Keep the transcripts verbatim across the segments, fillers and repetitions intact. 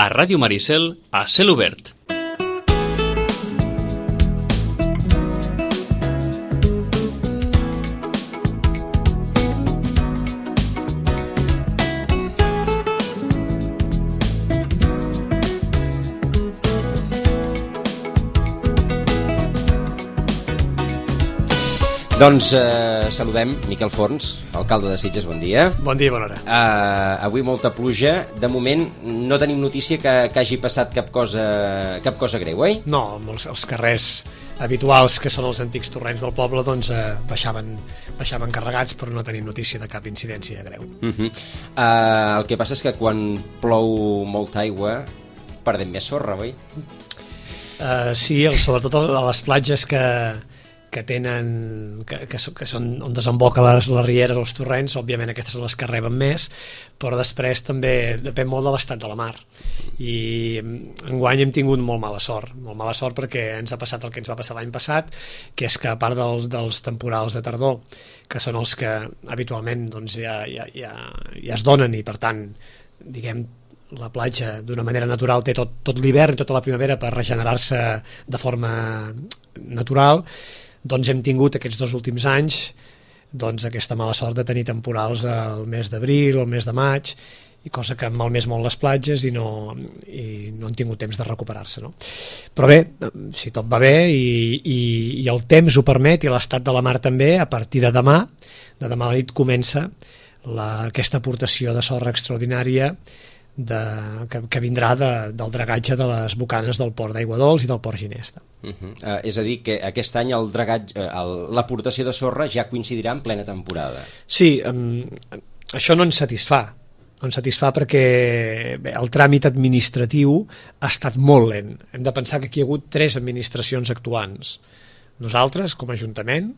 A Ràdio Maricel, a cel obert. Doncs eh, saludem Miquel Forns, alcalde de Sitges, bon dia. Bon dia i bona hora. Uh, avui molta pluja, de moment no tenim notícia que, que hagi passat cap cosa, cap cosa greu, oi? No, els, els carrers habituals, que són els antics torrents del poble, doncs eh, baixaven, baixaven carregats, però no tenim notícia de cap incidència greu. Uh -huh. uh, el que passa és que quan plou molta aigua perdem més sorra, oi? Uh, sí, el, sobretot a les platges que que tenen que, que, que són on desemboca les, les rieres, els torrents, òbviament aquestes són les que reben més, però després també depèn molt de l'estat de la mar, i enguany hem tingut molt mala sort molt mala sort perquè ens ha passat el que ens va passar l'any passat, que és que a part dels, dels temporals de tardor, que són els que habitualment doncs, ja, ja, ja, ja es donen, i per tant diguem la platja d'una manera natural té tot, tot l'hivern i tota la primavera per regenerar-se de forma natural, doncs hem tingut aquests dos últims anys doncs aquesta mala sort de tenir temporals al mes d'abril o al mes de maig, i cosa que han malmès molt les platges i no, i no han tingut temps de recuperar-se, no? Però bé, si tot va bé i, i, i el temps ho permet i l'estat de la mar també, a partir de demà de demà a la nit comença la, aquesta aportació de sorra extraordinària de, que, que vindrà de, del dragatge de les bocanes del port d'Aigua Dols i del port Ginesta. Uh -huh. uh, és a dir, que aquest any el dragatge, uh, l'aportació de sorra ja coincidirà en plena temporada. Sí, um, això no ens satisfà. No ens satisfà perquè bé, el tràmit administratiu ha estat molt lent. Hem de pensar que aquí hi ha hagut tres administracions actuants. Nosaltres, com a Ajuntament,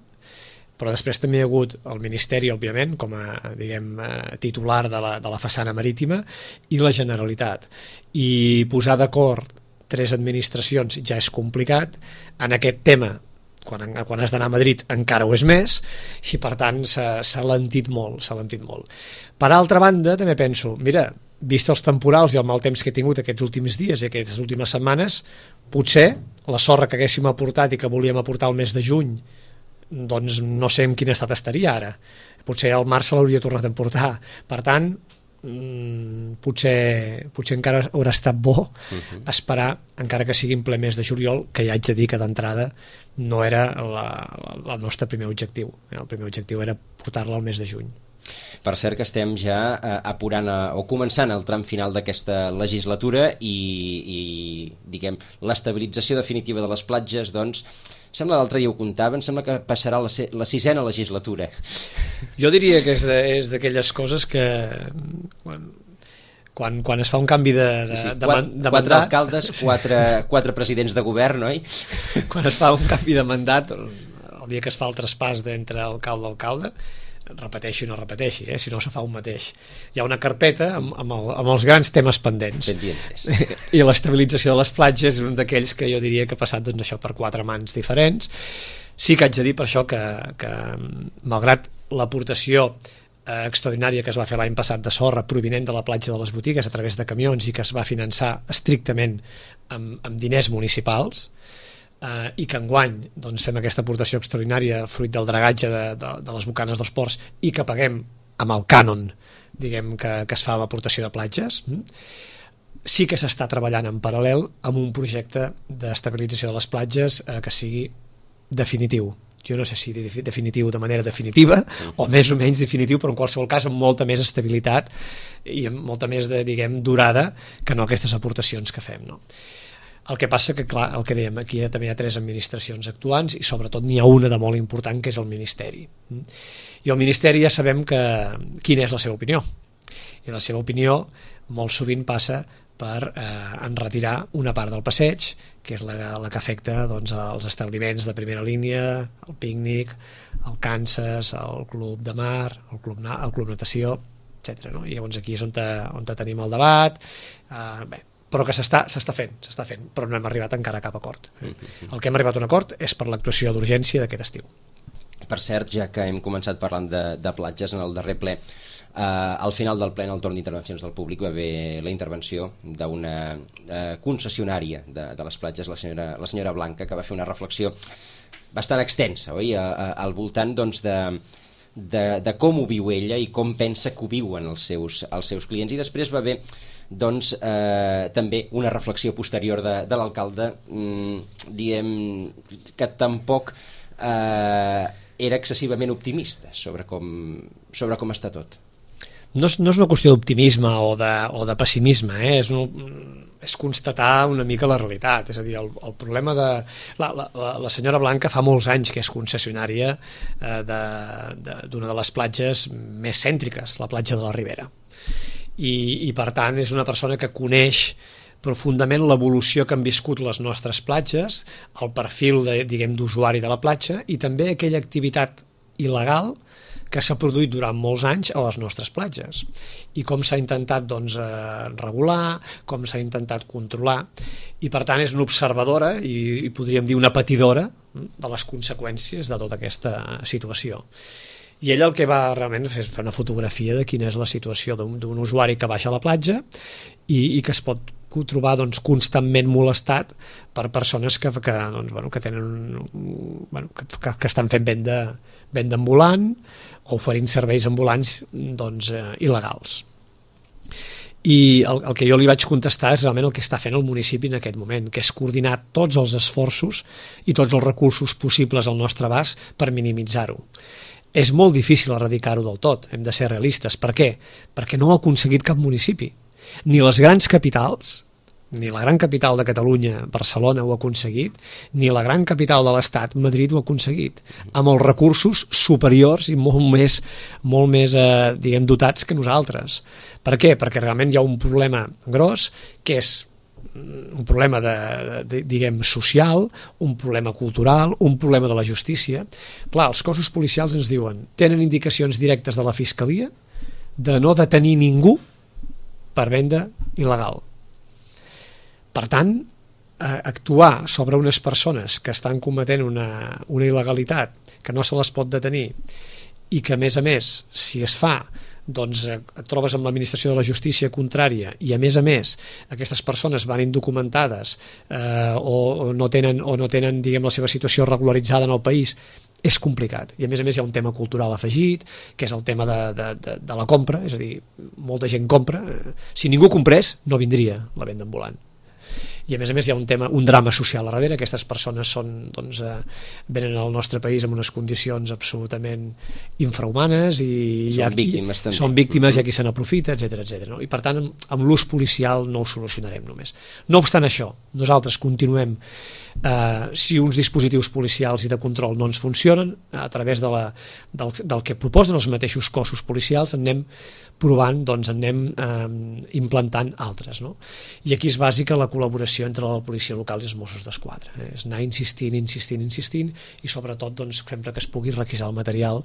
però després també hi ha hagut el Ministeri, òbviament, com a diguem, titular de la, de la façana marítima, i la Generalitat. I posar d'acord tres administracions ja és complicat. En aquest tema, quan, quan has d'anar a Madrid, encara ho és més, i per tant s'ha lentit molt, s'ha lentit molt. Per altra banda, també penso, mira, vist els temporals i el mal temps que he tingut aquests últims dies i aquestes últimes setmanes, potser la sorra que haguéssim aportat i que volíem aportar el mes de juny, doncs no sé en quin estat estaria ara. Potser al març se l'hauria tornat a emportar. Per tant, mmm, potser, potser encara haurà estat bo uh-huh. esperar, encara que sigui en ple mes de juliol, que ja haig de dir que d'entrada no era la, la, el nostre primer objectiu. El primer objectiu era portar-la al mes de juny. Per cert que estem ja eh, apurant a, o començant el tram final d'aquesta legislatura i, i diguem, l'estabilització definitiva de les platges, doncs, sembla l'altre dia ho comptava, em sembla que passarà la, la sisena legislatura. Jo diria que és de, és d'aquelles coses que quan, quan, quan es fa un canvi de, de, sí, de, quatre, de quatre mandat, alcaldes, quatre, quatre presidents de govern, oi? Quan es fa un canvi de mandat, el dia que es fa el traspàs d'entre alcalde a alcalde, repeteixi o no repeteixi, eh? Si no se fa un mateix. Hi ha una carpeta amb, amb, el, amb els grans temes pendents. I l'estabilització de les platges és un d'aquells que jo diria que ha passat doncs, això per quatre mans diferents. Sí que haig de dir per això que, que malgrat l'aportació eh, extraordinària que es va fer l'any passat de sorra provinent de la platja de les Botigues a través de camions i que es va finançar estrictament amb, amb diners municipals, Uh, i que enguany doncs, fem aquesta aportació extraordinària fruit del dragatge de, de, de les bocanes dels ports i que paguem amb el cànon diguem, que, que es fa amb aportació de platges, mm? Sí que s'està treballant en paral·lel amb un projecte d'estabilització de les platges uh, que sigui definitiu. Jo no sé si definitiu de manera definitiva o més o menys definitiu, però en qualsevol cas amb molta més estabilitat i amb molta més de, diguem, durada que no aquestes aportacions que fem, no? El que passa que, clar, el que dèiem, aquí també hi ha tres administracions actuants i sobretot n'hi ha una de molt important que és el Ministeri. I el Ministeri ja sabem que, quina és la seva opinió. I la seva opinió molt sovint passa per eh, enretirar una part del passeig, que és la, la que afecta doncs, els establiments de primera línia, el pícnic, el Kansas, el club de mar, el club, el club natació, etcètera. No? I llavors aquí és on, te, on te tenim el debat. Eh, bé, però que s'està s'està fent, s'està fent, però no hem arribat encara a cap acord. El que hem arribat a un acord és per l'actuació d'urgència d'aquest estiu. Per cert, ja que hem començat parlant de, de platges en el darrer ple, al final del ple, en el torn d'intervencions del públic, va haver la intervenció d'una uh, concessionària de, de les platges, la senyora, la senyora Blanca, que va fer una reflexió bastant extensa, oi? A, a, al voltant doncs, de, de, de com ho viu ella i com pensa que ho viuen els seus, els seus clients. I després va haver doncs, eh, també una reflexió posterior de, de l'alcalde, mm, diem que tampoc eh, era excessivament optimista sobre com, sobre com està tot. No és, no és una qüestió d'optimisme o, de, o de pessimisme, eh? és, un, és constatar una mica la realitat. És a dir, el, el problema de... La, la, la senyora Blanca fa molts anys que és concessionària eh, d'una de, de, de les platges més cèntriques, la platja de la Ribera. I, i per tant és una persona que coneix profundament l'evolució que han viscut les nostres platges, el perfil de, diguem, d'usuari de la platja i també aquella activitat il·legal que s'ha produït durant molts anys a les nostres platges i com s'ha intentat doncs, eh, regular, com s'ha intentat controlar, i per tant és una observadora i, i podríem dir una patidora de les conseqüències de tota aquesta situació. I ella el que va realment fer és fer una fotografia de quina és la situació d'un usuari que baixa a la platja i, i que es pot trobar doncs, constantment molestat per persones que, que, doncs, bueno, que tenen bueno, que, que, que estan fent venda, venda ambulant o oferint serveis ambulants doncs, eh, il·legals. I el, el que jo li vaig contestar és realment el que està fent el municipi en aquest moment, que és coordinar tots els esforços i tots els recursos possibles al nostre abast per minimitzar-ho. És molt difícil erradicar-ho del tot, hem de ser realistes. Per què? Perquè no ho ha aconseguit cap municipi. Ni les grans capitals, ni la gran capital de Catalunya, Barcelona, ho ha aconseguit, ni la gran capital de l'Estat, Madrid, ho ha aconseguit, amb els recursos superiors i molt més, molt més eh, diguem, dotats que nosaltres. Per què? Perquè realment hi ha un problema gros, que és un problema de, de, diguem, social, un problema cultural, un problema de la justícia. Clar, els cossos policials ens diuen, tenen indicacions directes de la Fiscalia de no detenir ningú per venda il·legal. Per tant, actuar sobre unes persones que estan cometent una, una il·legalitat que no se les pot detenir i que, a més a més, si es fa, doncs et trobes amb l'administració de la justícia contrària i, a més a més, aquestes persones van indocumentades eh, o, o no tenen, o no tenen diguem, la seva situació regularitzada en el país, és complicat. I a més a més hi ha un tema cultural afegit, que és el tema de, de, de, de la compra, és a dir, molta gent compra. Si ningú comprés, no vindria la venda ambulant. I a més a més hi ha un tema, un drama social a darrere. Aquestes persones són, doncs, eh, venen al nostre país en unes condicions absolutament infrahumanes i són hi ha, víctimes, i, són víctimes, hi ha qui se n'aprofita, etcètera, etcètera. No? I per tant, amb, amb l'ús policial no ho solucionarem només. No obstant això, nosaltres continuem eh, si uns dispositius policials i de control no ens funcionen, a través de la, del, del que proposen els mateixos cossos policials anem provant, doncs anem eh, implantant altres. No? I aquí és bàsica la col·laboració entre la policia local i els Mossos d'Esquadra. Eh? És anar insistint, insistint, insistint i sobretot doncs, sempre que es pugui requisar el material,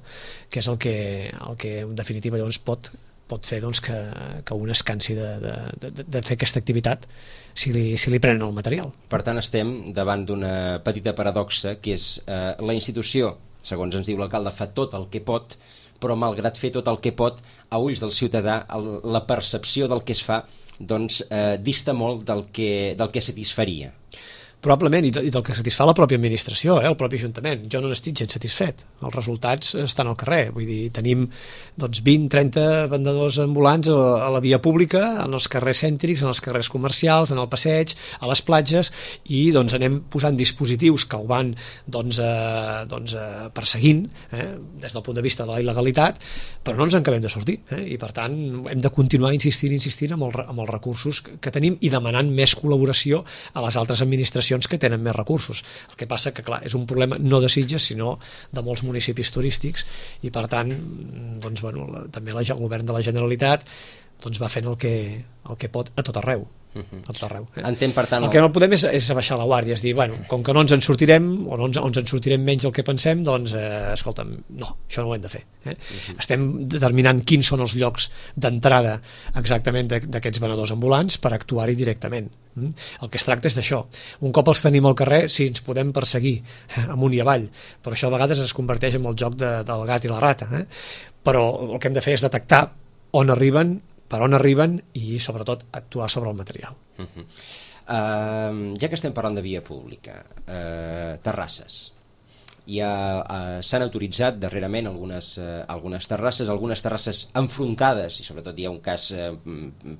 que és el que, el que en definitiva llavors pot, pot fer doncs, que, que un es cansi de, de, de, de fer aquesta activitat si li, si li prenen el material. Per tant, estem davant d'una petita paradoxa, que és eh, la institució, segons ens diu l'alcalde, fa tot el que pot, però malgrat fer tot el que pot, a ulls del ciutadà, el, la percepció del que es fa doncs, eh, dista molt del que, del que satisfaria. Probablement, i del que satisfà la pròpia administració, eh, el propi Ajuntament. Jo no n'estic gens satisfet. Els resultats estan al carrer. Vull dir, tenim doncs, vint trenta vendedors ambulants a, a la via pública, en els carrers cèntrics, en els carrers comercials, en el passeig, a les platges, i doncs, anem posant dispositius que ho van doncs, eh, doncs, eh, perseguint eh, des del punt de vista de la il·legalitat, però no ens en acabem de sortir. Eh, I per tant, hem de continuar insistint, insistint amb, el, amb els recursos que tenim i demanant més col·laboració a les altres administracions que tenen més recursos. El que passa que, clar, és un problema no de Sitges, sinó de molts municipis turístics i, per tant, doncs, bueno, la, també la, el govern de la Generalitat doncs, va fent el que, el que pot a tot arreu. A tot arreu eh? Entenc, per tant, el que no podem és, és abaixar la guàrdia, és dir, bueno, com que no ens en sortirem o no ens, o ens en sortirem menys del que pensem, doncs, eh, escolta'm, no, això no ho hem de fer. Eh? Uh-huh. Estem determinant quins són els llocs d'entrada exactament d'aquests venedors ambulants per actuar-hi directament. Mm? El que es tracta és d'això. Un cop els tenim al carrer, sí, ens podem perseguir eh, amunt i avall, però això a vegades es converteix en el joc de, del gat i la rata. Eh? Però el que hem de fer és detectar on arriben, per on arriben i sobretot actuar sobre el material. Uh-huh. Uh, ja que estem parlant de via pública, uh, terrasses, ja uh, s'han autoritzat darrerament algunes, uh, algunes terrasses, algunes terrasses enfrontades, i sobretot hi ha un cas uh,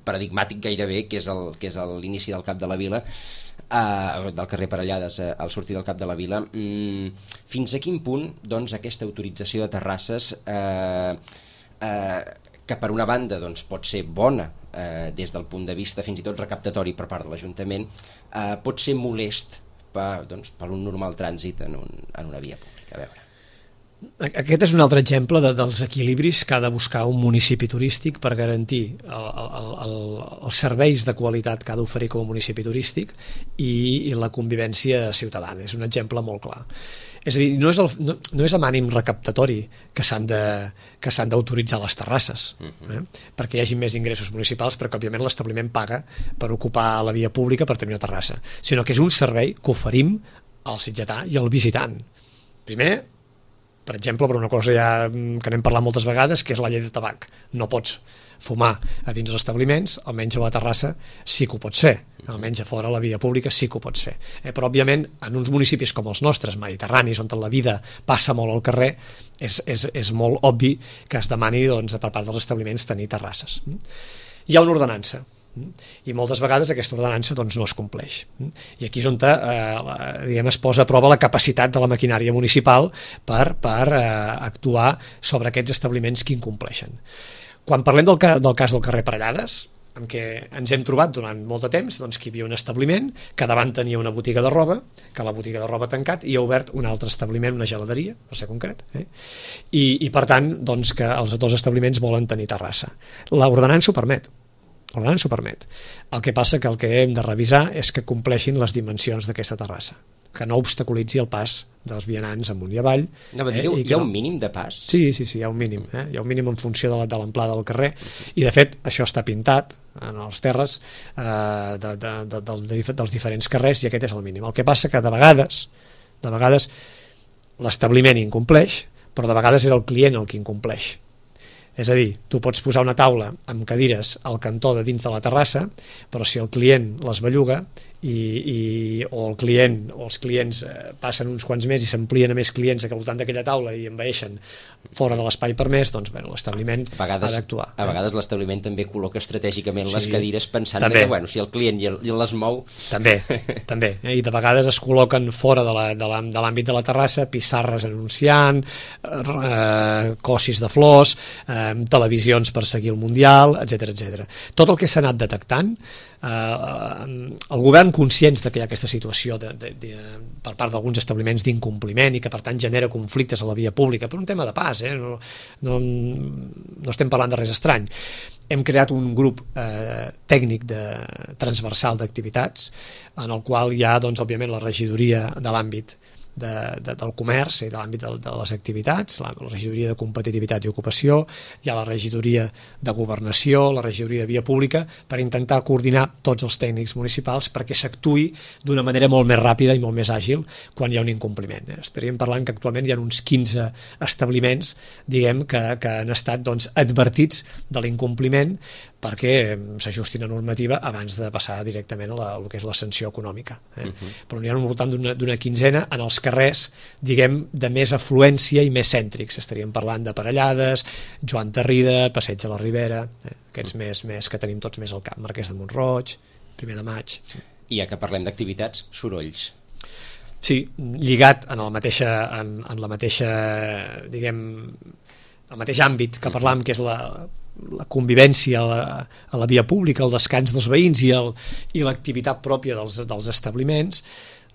paradigmàtic gairebé, que és el, que és l'inici del Cap de la Vila, uh, del carrer Parellades uh, al sortir del Cap de la Vila. Mm, fins a quin punt doncs, aquesta autorització de terrasses uh, uh, que per una banda doncs, pot ser bona eh, des del punt de vista fins i tot recaptatori per part de l'Ajuntament, eh, pot ser molest per, doncs, per un normal trànsit en, un, en una via pública. A veure. Aquest és un altre exemple de, dels equilibris que ha de buscar un municipi turístic per garantir el, el, el, els serveis de qualitat que ha d'oferir com a municipi turístic i, i la convivència ciutadana. És un exemple molt clar. És a dir, no és, el, no, no és amb ànim recaptatori que s'han de, que s'han d'autoritzar les terrasses, eh? perquè hi hagi més ingressos municipals, perquè òbviament l'establiment paga per ocupar la via pública per tenir una terrassa, sinó que és un servei que oferim al sitgetà i al visitant. Primer, per exemple, per una cosa ja que n'hem parlat moltes vegades, que és la llei de tabac. No pots fumar a dins dels establiments, almenys a la terrassa sí que ho pots fer, almenys a fora a la via pública sí que ho pots fer. Eh, però òbviament en uns municipis com els nostres, mediterranis, on la vida passa molt al carrer, és, és, és molt obvi que es demani doncs, per part dels establiments tenir terrasses. Hi ha una ordenança, i moltes vegades aquesta ordenança doncs, no es compleix. I aquí és on eh, diguem, es posa a prova la capacitat de la maquinària municipal per, per eh, actuar sobre aquests establiments que incompleixen. Quan parlem del, ca del cas del carrer Parellades, en què ens hem trobat durant molt de temps doncs, que hi havia un establiment que davant tenia una botiga de roba, que la botiga de roba ha tancat i ha obert un altre establiment, una geladeria, per ser concret, eh? I, i per tant doncs, que els dos establiments volen tenir terrassa. L'ordenança ho permet, l'ordenança ho permet. El que passa que el que hem de revisar és que compleixin les dimensions d'aquesta terrassa, que no obstaculitzi el pas dels vianants amunt i avall. No, eh, hi ha no... un mínim de pas? Sí, sí, sí, hi ha un mínim. Eh? Hi ha un mínim en funció de l'amplada del carrer, i de fet això està pintat en els terres eh, de, de, de, dels, dels diferents carrers, i aquest és el mínim. El que passa que de vegades, de vegades l'establiment incompleix, però de vegades és el client el que incompleix. És a dir, tu pots posar una taula amb cadires al cantó de dins de la terrassa, però si el client les belluga i, i, o el client o els clients eh, passen uns quants més i s'amplien a més clients al voltant d'aquella taula i envaeixen fora de l'espai permès, doncs bé, l'establiment ha d'actuar. A vegades eh? l'establiment també col·loca estratègicament sí, les cadires pensant que bueno, si el client ja les mou... També, també. Eh? I de vegades es col·loquen fora de l'àmbit de la terrassa pissarres anunciant, eh, cossis de flors, eh, televisions per seguir el Mundial, etcètera, etcètera. Tot el que s'ha anat detectant, eh, el govern, conscients de que hi ha aquesta situació de, de, de, per part d'alguns establiments d'incompliment i que per tant genera conflictes a la via pública per un tema de pas, eh? no, no, no estem parlant de res estrany, hem creat un grup eh, tècnic de, transversal d'activitats en el qual hi ha doncs, òbviament la regidoria de l'àmbit De, de, del comerç i de l'àmbit de, de les activitats, la, la regidoria de competitivitat i ocupació, hi ha la regidoria de governació, la regidoria de via pública, per intentar coordinar tots els tècnics municipals perquè s'actuï d'una manera molt més ràpida i molt més àgil quan hi ha un incompliment. Estaríem parlant que actualment hi ha uns quinze establiments, diguem, que, que han estat doncs, advertits de l'incompliment perquè s'ajustin a normativa abans de passar directament a la, a el que és la sanció econòmica. Eh? Uh-huh. Però n'hi ha un voltant d'una quinzena en els carrers, diguem, de més afluència i més cèntrics. Estaríem parlant de Parellades, Joan Tarrida, Passeig de la Ribera, eh? aquests més, més que tenim tots més al cap, Marquès de Mont-roig, Primer de Maig. I ja que parlem d'activitats, sorolls. Sí, lligat en, el mateixa, en, en la mateixa, diguem, el mateix àmbit que parlàvem, que és la la convivència a la, a la via pública, el descans dels veïns i el, i l'activitat pròpia dels, dels establiments,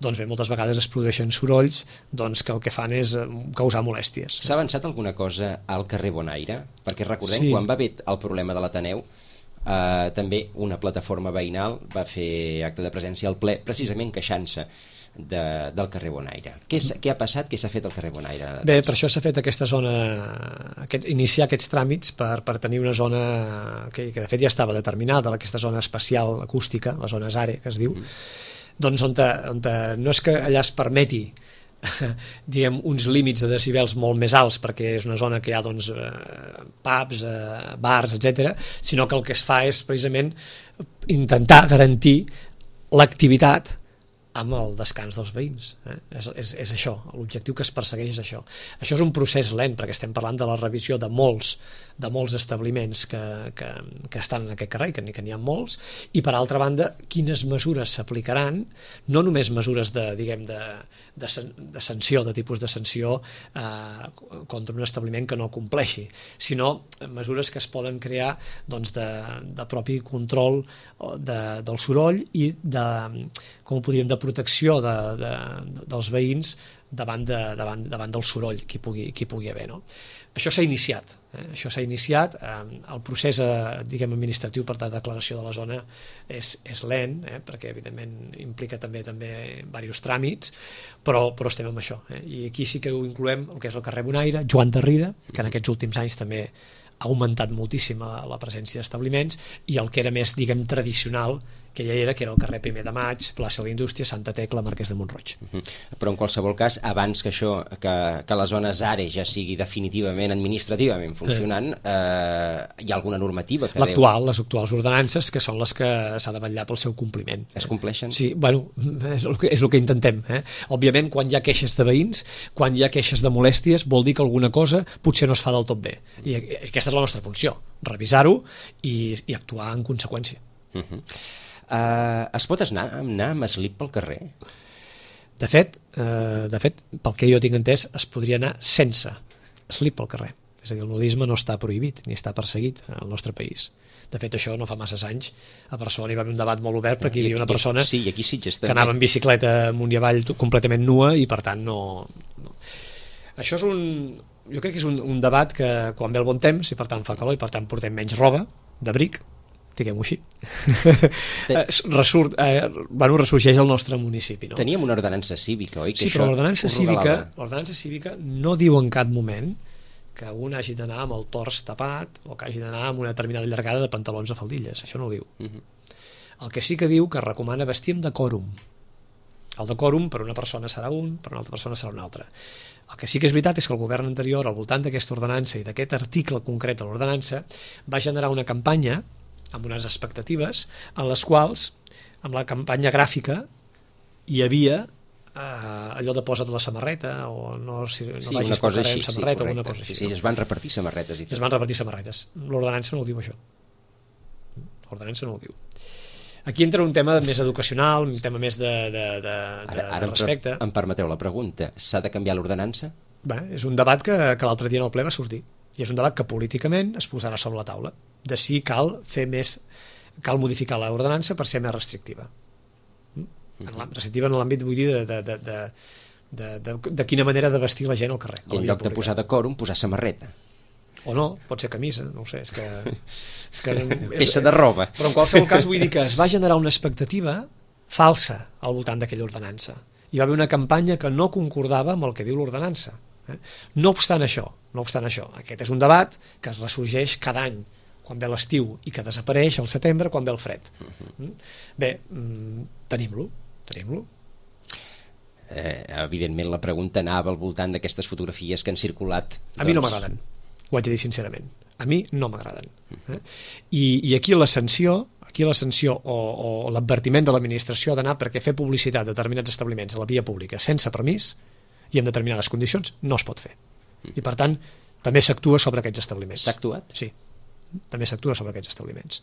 doncs bé, moltes vegades es produeixen sorolls doncs, que el que fan és causar molèsties. S'ha avançat alguna cosa al carrer Bonaire? Perquè recordem, sí. quan va haver el problema de l'Ateneu, eh, també una plataforma veïnal va fer acte de presència al ple, precisament queixant-se de, del carrer Bonaire. Què, què ha passat? Què s'ha fet al carrer Bonaire? Bé, per això s'ha fet aquesta zona, aquest, iniciar aquests tràmits per, per tenir una zona que, que de fet ja estava determinada, aquesta zona especial acústica, la zona Zare, que es diu, mm. doncs on, te, on te, no és que allà es permeti diguem, uns límits de decibels molt més alts perquè és una zona que hi ha doncs, eh, pubs, eh, bars, etcètera, sinó que el que es fa és precisament intentar garantir l'activitat amb el descans dels veïns. Eh? És, és, és això, l'objectiu que es persegueix és això. Això és un procés lent, perquè estem parlant de la revisió de molts, de molts establiments que, que, que estan en aquest carrer, que n'hi que n'hi ha molts, i per altra banda, quines mesures s'aplicaran, no només mesures de, diguem, de, de, de sanció, de tipus de sanció eh, contra un establiment que no compleixi, sinó mesures que es poden crear doncs, de, de propi control de, del soroll i de, com ho podríem, de protecció de, de, de, dels veïns davant, de, davant, davant del soroll que hi pugui, que hi pugui haver. No? Això s'ha iniciat. Eh? Això s'ha iniciat. Eh, el procés eh, diguem, administratiu per la declaració de la zona és, és lent, eh? perquè evidentment implica també també diversos tràmits, però, però estem amb això. Eh? I aquí sí que ho incloem el que és el carrer Bonaire, Joan de Rida, que en aquests últims anys també ha augmentat moltíssim la, la presència d'establiments, i el que era més, diguem, tradicional, que ja era, que era el carrer Primer de Maig, plaça de la Indústria, Santa Tecla, Marquès de Montroig. Uh-huh. Però en qualsevol cas, abans que això, que, que la zona ZARE ja sigui definitivament administrativament funcionant, eh, hi ha alguna normativa que L'actual, les actuals ordenances, que són les que s'ha de vetllar pel seu compliment. Es compleixen? Sí, bueno, és el que, és el que intentem. Eh? Òbviament, quan hi ha queixes de veïns, quan hi ha queixes de molèsties, vol dir que alguna cosa potser no es fa del tot bé. I aquesta és la nostra funció, revisar-ho i, i actuar en conseqüència. Uh-huh. Uh, es pot anar, anar amb slip pel carrer? De fet, eh, de fet, pel que jo tinc entès, es podria anar sense slip pel carrer. És a dir, el nudisme no està prohibit ni està perseguit al nostre país. De fet, això no fa masses anys. A Barcelona hi va haver un debat molt obert perquè hi havia una persona sí, aquí sí, que anava en bicicleta amunt i avall completament nua i, per tant, no... no. Això és un... Jo crec que és un, un debat que quan ve el bon temps i, per tant, fa calor i, per tant, portem menys roba d'abric, diguem-ho així, Resurt, eh, bueno, ressorgeix al nostre municipi. No? Teníem una ordenança cívica, oi? Que sí, però l'ordenança cívica, l'ordenança cívica no diu en cap moment que un hagi d'anar amb el tors tapat o que hagi d'anar amb una determinada llargada de pantalons o faldilles, això no ho diu. Uh-huh. El que sí que diu que recomana vestir amb decòrum. El decòrum per una persona serà un, per una altra persona serà una altra. El que sí que és veritat és que el govern anterior, al voltant d'aquesta ordenança i d'aquest article concret de l'ordenança, va generar una campanya amb unes expectatives en les quals, amb la campanya gràfica, hi havia eh, allò de posa't la samarreta o no, si, no sí, vagis una cosa així, amb samarreta sí, o una cosa així. Sí, sí, es van repartir samarretes i tot. Es van repartir samarretes. L'ordenança no ho diu, això. L'ordenança no ho diu. Aquí entra un tema més educacional, un tema més de, de, de, de, ara, ara de respecte. Em permeteu la pregunta, s'ha de canviar l'ordenança? Bé, és un debat que, que l'altre dia en el ple va sortir. I és un debat que políticament es posarà sobre la taula de si cal fer més, cal modificar l'ordenança per ser més restrictiva. En restrictiva en l'àmbit, vull dir, de, de, de, de, de, de, de quina manera de vestir la gent al carrer. I en lloc de posar decòrum, posar samarreta. O no, pot ser camisa, no ho sé. És que, és que, peça de roba. Però en qualsevol cas vull dir que es va generar una expectativa falsa al voltant d'aquella ordenança. Hi va haver una campanya que no concordava amb el que diu l'ordenança. No obstant això, no obstant això, aquest és un debat que es ressorgeix cada any, quan ve l'estiu i que desapareix al setembre quan ve el fred. Bé, tenim-lo, tenim-lo. Eh, evidentment la pregunta anava al voltant d'aquestes fotografies que han circulat. A mi no m'agraden, ho haig de dir sincerament. A mi no m'agraden. Eh? I, I aquí la sanció, aquí la sanció o, o l'advertiment de l'administració ha d'anar perquè fer publicitat de determinats establiments a la via pública sense permís i en determinades condicions no es pot fer. I per tant, també s'actua sobre aquests establiments. S'ha actuat? Sí, també s'actua sobre aquests establiments.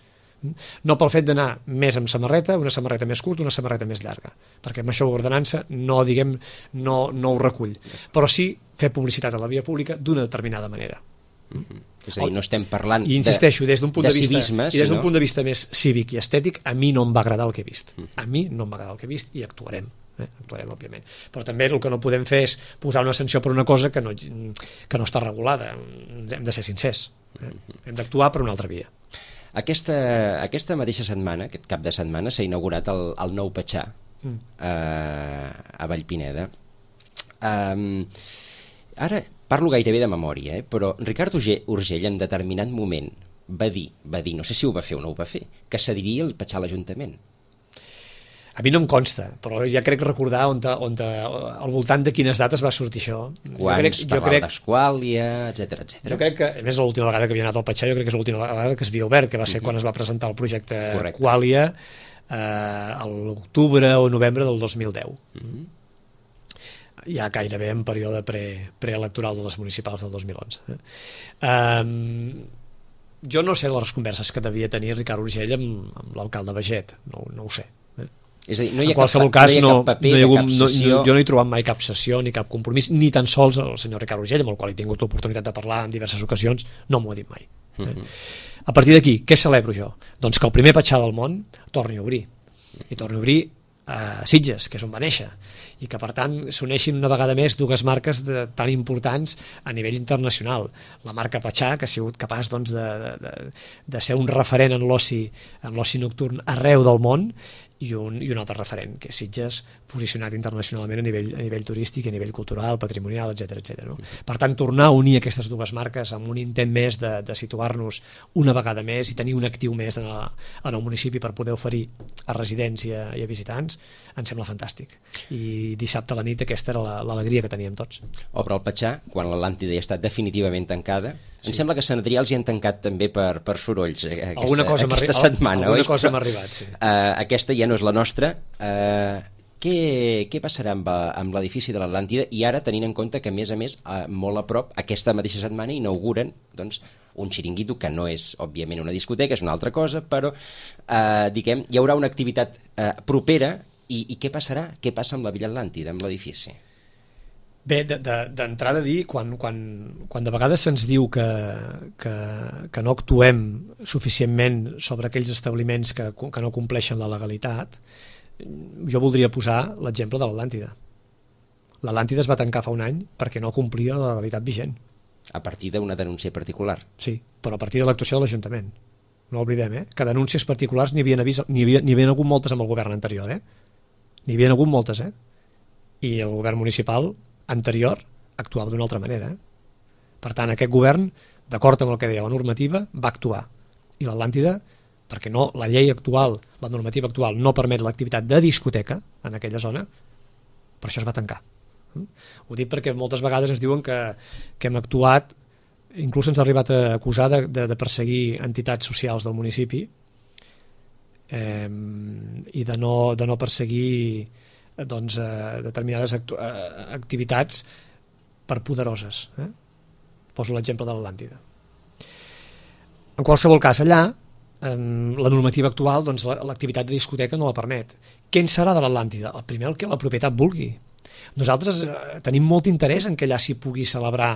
No pel fet d'anar més amb samarreta, una samarreta més curta, una samarreta més llarga, perquè amb això l'ordenança no, diguem, no, no ho recull, però sí fer publicitat a la via pública d'una determinada manera. Mm-hmm. És a dir, no estem parlant I insisteixo, des d'un punt de, de, de vista, civisme, i des d'un sinó... punt de vista més cívic i estètic, a mi no em va agradar el que he vist. A mi no em va agradar el que he vist i actuarem. Eh? actuarem, òbviament. Però també el que no podem fer és posar una sanció per una cosa que no, que no està regulada. Hem de ser sincers. Eh? Hem d'actuar per una altra via. Aquesta, aquesta mateixa setmana, aquest cap de setmana, s'ha inaugurat el, el nou Petxà mm. eh, a Vallpineda. Um, ara parlo gairebé de memòria, eh? Però Ricard Urgell en determinat moment va dir, va dir, no sé si ho va fer o no ho va fer, que cediria el Petxà a l'Ajuntament. A mi no em consta, però ja crec recordar on, on al voltant de quines dates va sortir això. Quan es parlava d'Esquàlia, etcètera, etcètera. Jo crec que, a més, l'última vegada que havia anat al Patxà, jo crec que és l'última vegada que es havia obert, que va ser uh-huh. quan es va presentar el projecte Quàlia, eh, a l'octubre o novembre del dos mil deu. Uh-huh. Ja gairebé en període pre, preelectoral de les municipals del dos mil onze. Eh? Um, jo no sé les converses que devia tenir Ricard Urgell amb, amb l'alcalde Baget, no, no ho sé. Eh? És a dir, no hi ha en qualsevol cap, cas, no hi ha cap paper, no, no, cap sessió... no, jo no he trobat mai cap sessió ni cap compromís, ni tan sols el senyor Ricard Urgell, amb el qual he tingut l'oportunitat de parlar en diverses ocasions, no m'ho ha dit mai. Eh? Uh-huh. A partir d'aquí, què celebro jo? Doncs que el primer Patxà del món torni a obrir. I torni a obrir a Sitges, que és on va néixer, i que per tant s'uneixin una vegada més dues marques de, tan importants a nivell internacional. La marca Patxà, que ha sigut capaç doncs, de, de, de ser un referent en l'oci en l'oci nocturn arreu del món, i un, i un altre referent, que és Sitges, posicionat internacionalment a nivell, a nivell turístic, a nivell cultural, patrimonial, etcètera, etcètera. No? Per tant, tornar a unir aquestes dues marques amb un intent més de, de situar-nos una vegada més i tenir un actiu més en, la, en el municipi per poder oferir a residents i a, i a visitants, em sembla fantàstic. I dissabte a la nit aquesta era l'alegria que teníem tots. Obre el Patxà, quan l'Atlàntida ja està definitivament tancada. Em Sí. sembla que Sant Adrià els hi han tancat també per, per sorolls eh, aquesta, alguna cosa aquesta m'ha setmana. alguna oi? cosa Però, m'ha arribat, sí. Uh, aquesta ja no és la nostra. Uh, què, què passarà amb, amb l'edifici de l'Atlàntida? I ara, tenint en compte que, a més a més, uh, molt a prop, aquesta mateixa setmana inauguren doncs, un xiringuito que no és, òbviament, una discoteca, és una altra cosa, però uh, diguem, hi haurà una activitat uh, propera i, i què passarà? Què passa amb la Villa Atlàntida, amb l'edifici? Bé, d'entrada a dir, quan, quan, quan de vegades se'ns diu que, que, que no actuem suficientment sobre aquells establiments que, que no compleixen la legalitat, jo voldria posar l'exemple de l'Atlàntida. L'Atlàntida es va tancar fa un any perquè no complia la legalitat vigent. A partir d'una denúncia particular. Sí, però a partir de l'actuació de l'Ajuntament. No oblidem, eh? Que denúncies particulars n'hi havia, n'hi havia, n'hi havia hagut moltes amb el govern anterior, eh? N'hi havia hagut moltes, eh? I el govern municipal anterior actuava d'una altra manera. Eh? Per tant, aquest govern, d'acord amb el que deia la normativa, va actuar. I l'Atlàntida, perquè no, la llei actual, la normativa actual, no permet l'activitat de discoteca en aquella zona, per això es va tancar. Eh? Ho dic perquè moltes vegades ens diuen que, que hem actuat, inclús ens ha arribat a acusar de, de, de perseguir entitats socials del municipi eh, i de no, de no perseguir doncs, eh, determinades actu eh, activitats per poderoses. Eh? Poso l'exemple de l'Atlàntida. En qualsevol cas, allà, eh, la normativa actual, doncs, l'activitat de discoteca no la permet. Què en serà de l'Atlàntida? El primer el que la propietat vulgui. Nosaltres eh, tenim molt interès en que allà s'hi pugui celebrar,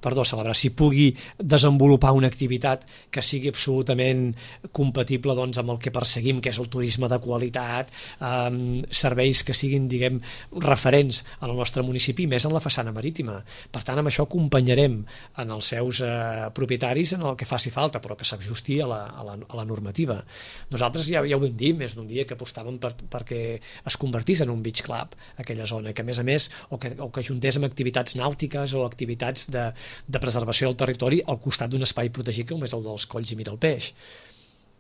perdó, celebrar, s'hi pugui desenvolupar una activitat que sigui absolutament compatible doncs, amb el que perseguim, que és el turisme de qualitat, eh, serveis que siguin, diguem, referents en el nostre municipi, més en la façana marítima. Per tant, amb això acompanyarem en els seus eh, propietaris en el que faci falta, però que s'ajusti a, la, a, la, a la normativa. Nosaltres ja, ja ho vam dir més d'un dia que apostàvem per, perquè es convertís en un beach club aquella zona, que a més a més o que, o que ajuntés amb activitats nàutiques o activitats de, de preservació del territori al costat d'un espai protegit com és el dels Colls i Miralpeix.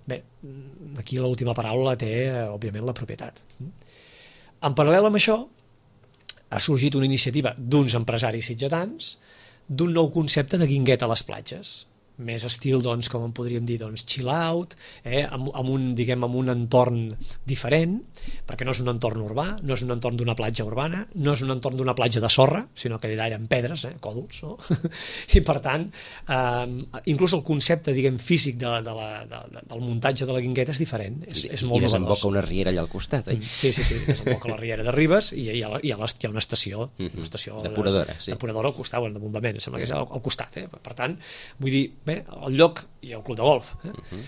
Bé, aquí l'última paraula la té, òbviament, la propietat. En paral·lel amb això, ha sorgit una iniciativa d'uns empresaris sitgetans d'un nou concepte de guingueta a les platges. Més estil, doncs, com en podríem dir, doncs, chill out, eh, amb, amb, un, diguem, amb un entorn diferent, perquè no és un entorn urbà, no és un entorn d'una platja urbana, no és un entorn d'una platja de sorra, sinó que allà hi ha pedres, eh, còdols, no? I per tant, eh, inclús el concepte, diguem, físic de, de la, de, de, del muntatge de la guingueta és diferent, és, és molt I desemboca novedós. una riera allà al costat, eh? Sí, sí, sí, desemboca la riera de Ribes i hi ha, hi ha, hi ha una estació, una estació depuradora, sí. depuradora al costat, bueno, de bombament, sembla que és al, al costat, eh? Per tant, vull dir, bé, el lloc i el club de golf. Eh? Uh-huh.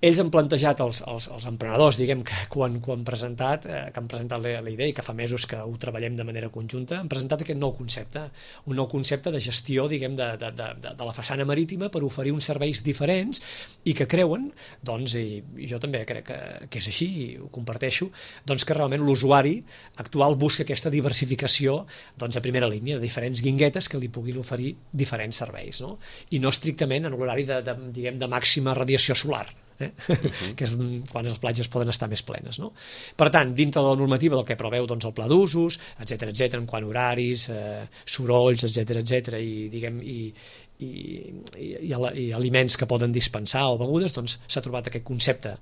Ells han plantejat, els, els, els emprenedors, diguem, que quan, quan presentat, eh, que han presentat la, la idea i que fa mesos que ho treballem de manera conjunta, han presentat aquest nou concepte, un nou concepte de gestió, diguem, de, de, de, de la façana marítima per oferir uns serveis diferents i que creuen, doncs, i, i jo també crec que, que és així, i ho comparteixo, doncs que realment l'usuari actual busca aquesta diversificació doncs, a primera línia, de diferents guinguetes que li puguin oferir diferents serveis, no? I no estrictament en l'horari de, de, diguem, de màxima radiació solar. eh? Uh-huh. que és quan les platges poden estar més plenes, no? Per tant, dintre de la normativa del que preveu doncs, el pla d'usos, etcètera, etcètera, en quant a horaris, eh, sorolls, etcètera, etcètera, i, diguem, i, i, i, i, i aliments que poden dispensar o begudes, doncs s'ha trobat aquest concepte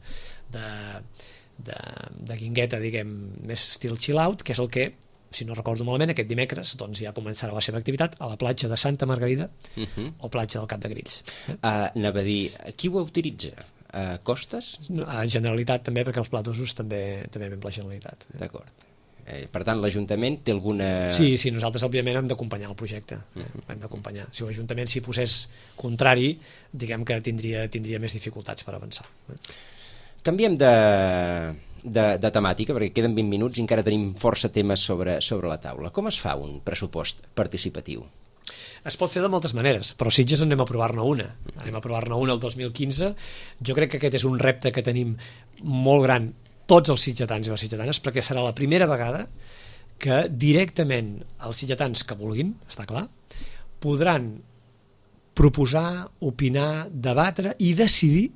de, de, de guingueta, diguem, més estil chill out, que és el que, si no recordo malament, aquest dimecres doncs ja començarà la seva activitat a la platja de Santa Margarida uh-huh. o platja del Cap de Grills. Eh? Uh, anava a dir, qui ho utilitza? Uh, Costes? No, a Generalitat també, perquè els plats d'usos també, també ven per la Generalitat. Eh? D'acord. Eh, per tant, l'Ajuntament té alguna... Sí, sí, nosaltres òbviament hem d'acompanyar el projecte. Eh? Uh-huh. Hem d'acompanyar. Si l'Ajuntament s'hi posés contrari, diguem que tindria, tindria més dificultats per avançar. Eh? Canviem de... De, de temàtica, perquè queden vint minuts i encara tenim força temes sobre, sobre la taula. Com es fa un pressupost participatiu? Es pot fer de moltes maneres, però Sitges anem a provar-ne una. Anem a provar-ne una el dos mil quinze. Jo crec que aquest és un repte que tenim molt gran tots els sitgetans i les sitgetanes, perquè serà la primera vegada que directament els sitgetans que vulguin, està clar, podran proposar, opinar, debatre i decidir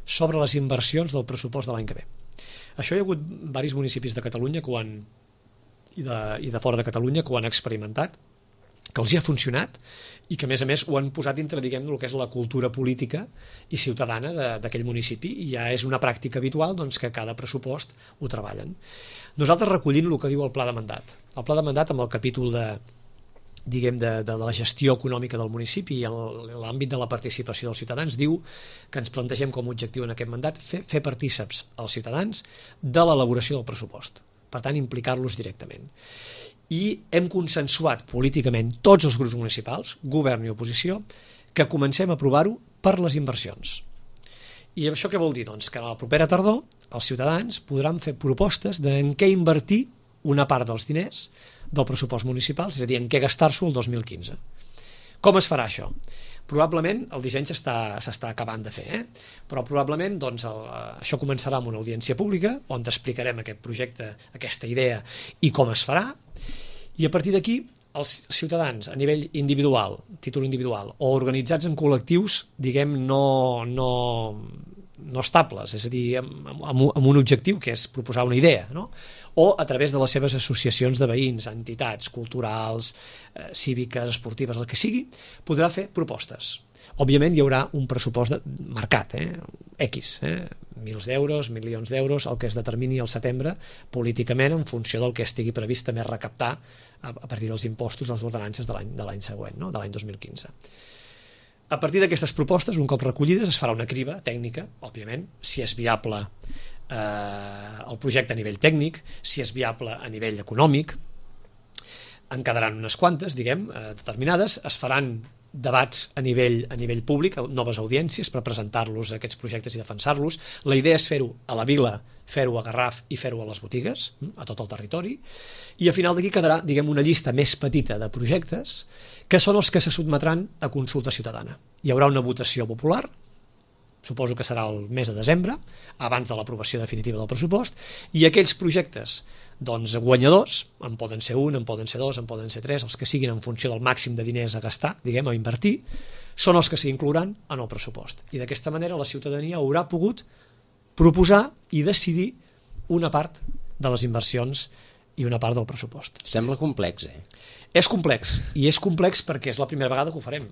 sobre les inversions del pressupost de l'any que ve. Això hi ha hagut diversos municipis de Catalunya que ho han, i, de, i de fora de Catalunya que ho han experimentat, que els hi ha funcionat i que a més a més ho han posat dintre, diguem, el que és la cultura política i ciutadana d'aquell municipi, i ja és una pràctica habitual doncs, que cada pressupost ho treballen. Nosaltres recollim el que diu el pla de mandat. El pla de mandat amb el capítol de diguem, de, de la gestió econòmica del municipi i l'àmbit de la participació dels ciutadans, diu que ens plantegem com a objectiu en aquest mandat fer, fer partíceps als ciutadans de l'elaboració del pressupost, per tant implicar-los directament. I hem consensuat políticament tots els grups municipals, govern i oposició, que comencem a aprovar-ho per les inversions. I això què vol dir? Doncs que a la propera tardor els ciutadans podran fer propostes de en què invertir una part dels diners del pressupost municipal, és a dir, en què gastar-s'ho el dos mil quinze. Com es farà això? Probablement el disseny s'està acabant de fer, eh? però probablement doncs, el, això començarà amb una audiència pública on t'explicarem aquest projecte, aquesta idea i com es farà, i a partir d'aquí els ciutadans a nivell individual, títol individual, o organitzats en col·lectius, diguem, no, no, no estables, és a dir, amb, amb, amb un objectiu que és proposar una idea, no? O a través de les seves associacions de veïns, entitats culturals, eh, cíviques, esportives, el que sigui, podrà fer propostes. Òbviament hi haurà un pressupost de, marcat, eh? X, eh? mils d'euros, milions d'euros, el que es determini al setembre políticament en funció del que estigui previst també recaptar a, a partir dels impostos, les ordenances de l'any de l'any següent, no? De l'any dos mil quinze. A partir d'aquestes propostes, un cop recollides, es farà una criba tècnica, òbviament, si és viable eh, el projecte a nivell tècnic, si és viable a nivell econòmic, en quedaran unes quantes, diguem, eh, determinades, es faran debats a nivell, a nivell públic, noves audiències per presentar-los a aquests projectes i defensar-los. La idea és fer-ho a la vila, fer-ho a Garraf i fer-ho a les botigues, a tot el territori, i a final d'aquí quedarà, diguem, una llista més petita de projectes que són els que se sotmetran a consulta ciutadana. Hi haurà una votació popular, suposo que serà el mes de desembre, abans de l'aprovació definitiva del pressupost, i aquells projectes doncs, guanyadors, en poden ser un, en poden ser dos, en poden ser tres, els que siguin en funció del màxim de diners a gastar, diguem, a invertir, són els que s'inclouran en el pressupost. I d'aquesta manera la ciutadania haurà pogut proposar i decidir una part de les inversions i una part del pressupost. Sembla complex, eh? És complex, i és complex perquè és la primera vegada que ho farem.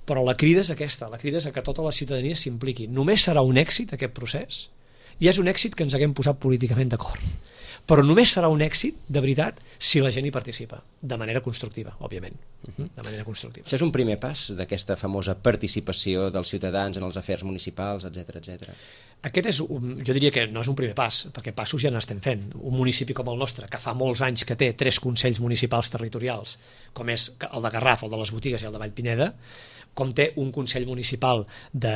Però la crida és aquesta, la crida és que tota la ciutadania s'impliqui. Només serà un èxit aquest procés, i és un èxit que ens haguem posat políticament d'acord. Però només serà un èxit, de veritat, si la gent hi participa, de manera constructiva, òbviament. De manera constructiva. Això és un primer pas d'aquesta famosa participació dels ciutadans en els afers municipals, etcètera, etcètera. Aquest és, un, jo diria que no és un primer pas, perquè passos ja n'estem fent. Un municipi com el nostre, que fa molts anys que té tres consells municipals territorials, com és el de Garraf, el de les Botigues i el de Vallpineda, com té un consell municipal de,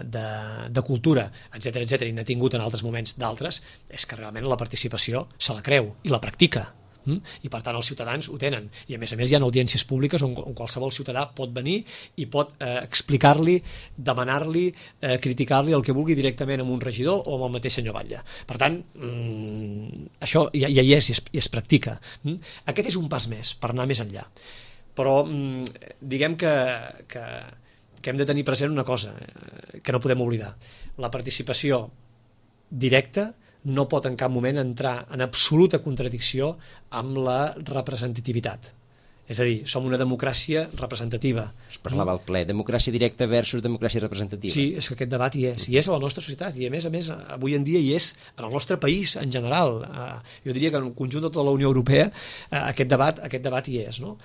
de, de cultura, etcètera, etcètera, i n'ha tingut en altres moments d'altres, és que realment la participació se la creu i la practica. I per tant els ciutadans ho tenen, i a més a més hi ha audiències públiques on, on qualsevol ciutadà pot venir i pot eh, explicar-li, demanar-li, eh, criticar-li el que vulgui directament amb un regidor o amb el mateix senyor Batlle. Per tant, mmm, això ja, ja hi és i es, i es practica. Mm? Aquest és un pas més per anar més enllà, però mmm, diguem que, que que hem de tenir present una cosa eh, que no podem oblidar. La participació directa no pot en cap moment entrar en absoluta contradicció amb la representativitat. És a dir, som una democràcia representativa. Es parlava al ple, democràcia directa versus democràcia representativa. Sí, és que aquest debat hi és, hi és a la nostra societat i a més a més avui en dia hi és en el nostre país en general. Jo diria que en el conjunt de tota la Unió Europea aquest debat, aquest debat hi és, no?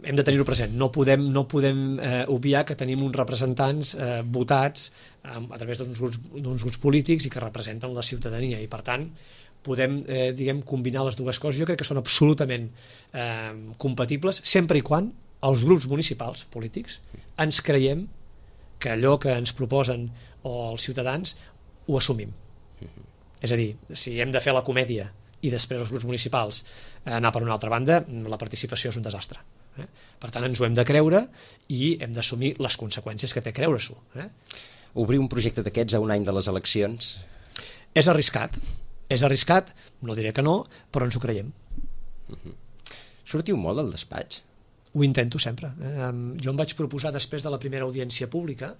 Hem de tenir-ho present, no podem, no podem eh, obviar que tenim uns representants eh, votats eh, a través d'uns grups, d'uns grups polítics i que representen la ciutadania i per tant podem eh, diguem, combinar les dues coses. Jo crec que són absolutament eh, compatibles sempre i quan els grups municipals polítics ens creiem que allò que ens proposen o els ciutadans ho assumim. És a dir, si hem de fer la comèdia i després els grups municipals eh, anar per una altra banda, la participació és un desastre. Eh? Per tant, ens ho hem de creure i hem d'assumir les conseqüències que té creure-s'ho. Eh? Obrir un projecte d'aquests a un any de les eleccions? És arriscat. És arriscat, no diré que no, però ens ho creiem. Uh-huh. Sortiu molt al despatx? Ho intento sempre. Eh? Jo em vaig proposar després de la primera audiència pública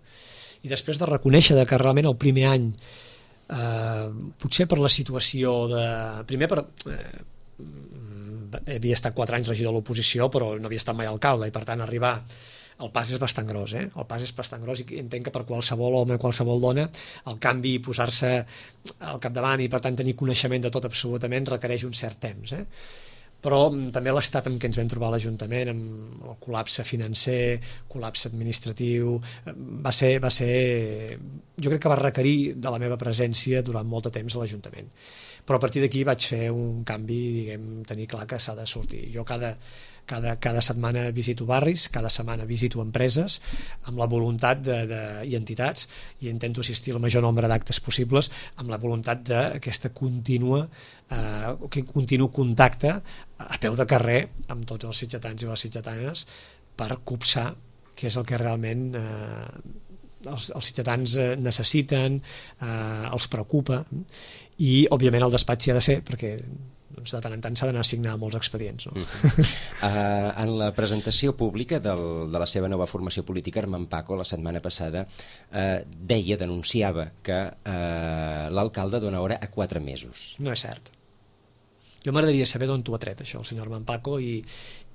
i després de reconèixer que realment el primer any Uh, potser per la situació de... primer per... Uh, havia estat quatre anys regidor de l'oposició però no havia estat mai alcalde i per tant arribar el pas és bastant gros, eh? El pas és bastant gros i entenc que per qualsevol home, qualsevol dona el canvi i posar-se al capdavant i per tant tenir coneixement de tot absolutament requereix un cert temps, eh? Però també l'estat en què ens vam trobar a l'Ajuntament, amb el col·lapse financer, col·lapse administratiu, va ser, va ser... jo crec que va requerir de la meva presència durant molt de temps a l'Ajuntament. Però a partir d'aquí vaig fer un canvi, diguem, tenir clar que s'ha de sortir. Jo cada, cada, cada setmana visito barris, cada setmana visito empreses, amb la voluntat de, de, i entitats, i intento assistir al major nombre d'actes possibles, amb la voluntat d'aquesta contínua, eh, que continu contacte a peu de carrer amb tots els sitgetans i les sitgetanes per copsar què és el que realment eh, els, els sitgetans necessiten, eh, els preocupa i òbviament el despatx hi ha de ser perquè doncs, de tant en tant s'ha d'anar a signar molts expedients, no? Uh-huh. uh, en la presentació pública del, de la seva nova formació política, Armand Paco la setmana passada uh, deia, denunciava que uh, l'alcalde dona hora a quatre mesos. No és cert. Jo m'agradaria saber d'on t'ho ha tret això el senyor Armand Paco i,